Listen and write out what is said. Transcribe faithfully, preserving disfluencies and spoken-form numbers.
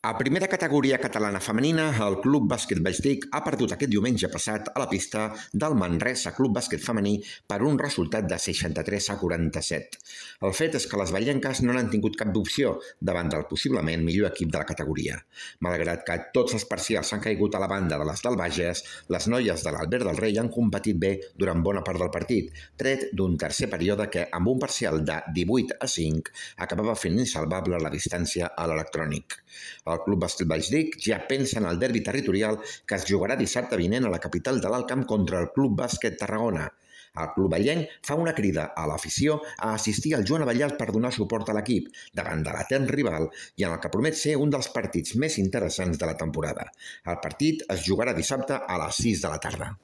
A primera categoria catalana femenina, el Club Bàsquet Valldic ha perdut aquest diumenge passat a la pista del Manresa Club Bàsquet Femení per un resultat de seixanta-tres a quaranta-set. El fet és que les vallenques no n'han tingut cap opció davant del possiblement millor equip de la categoria. Malgrat que tots els parcials han caigut a la banda de les del Bages, les noies de l'Albert del Rei han competit bé durant bona part del partit, tret d'un tercer període que, amb un parcial de divuit a cinc, acabava fent insalvable la distància a l'electrònic. El Club Bàsquet Valldic ja pensa en el derbi territorial que es jugarà dissabte vinent a la capital de l'Alt Camp contra el Club Bàsquet Tarragona. El club vallenc fa una crida a l'afició a assistir al Joan Abellà per donar suport a l'equip davant de l'etern rival i en el que promet ser un dels partits més interessants de la temporada. El partit es jugarà dissabte a les sis de la tarda.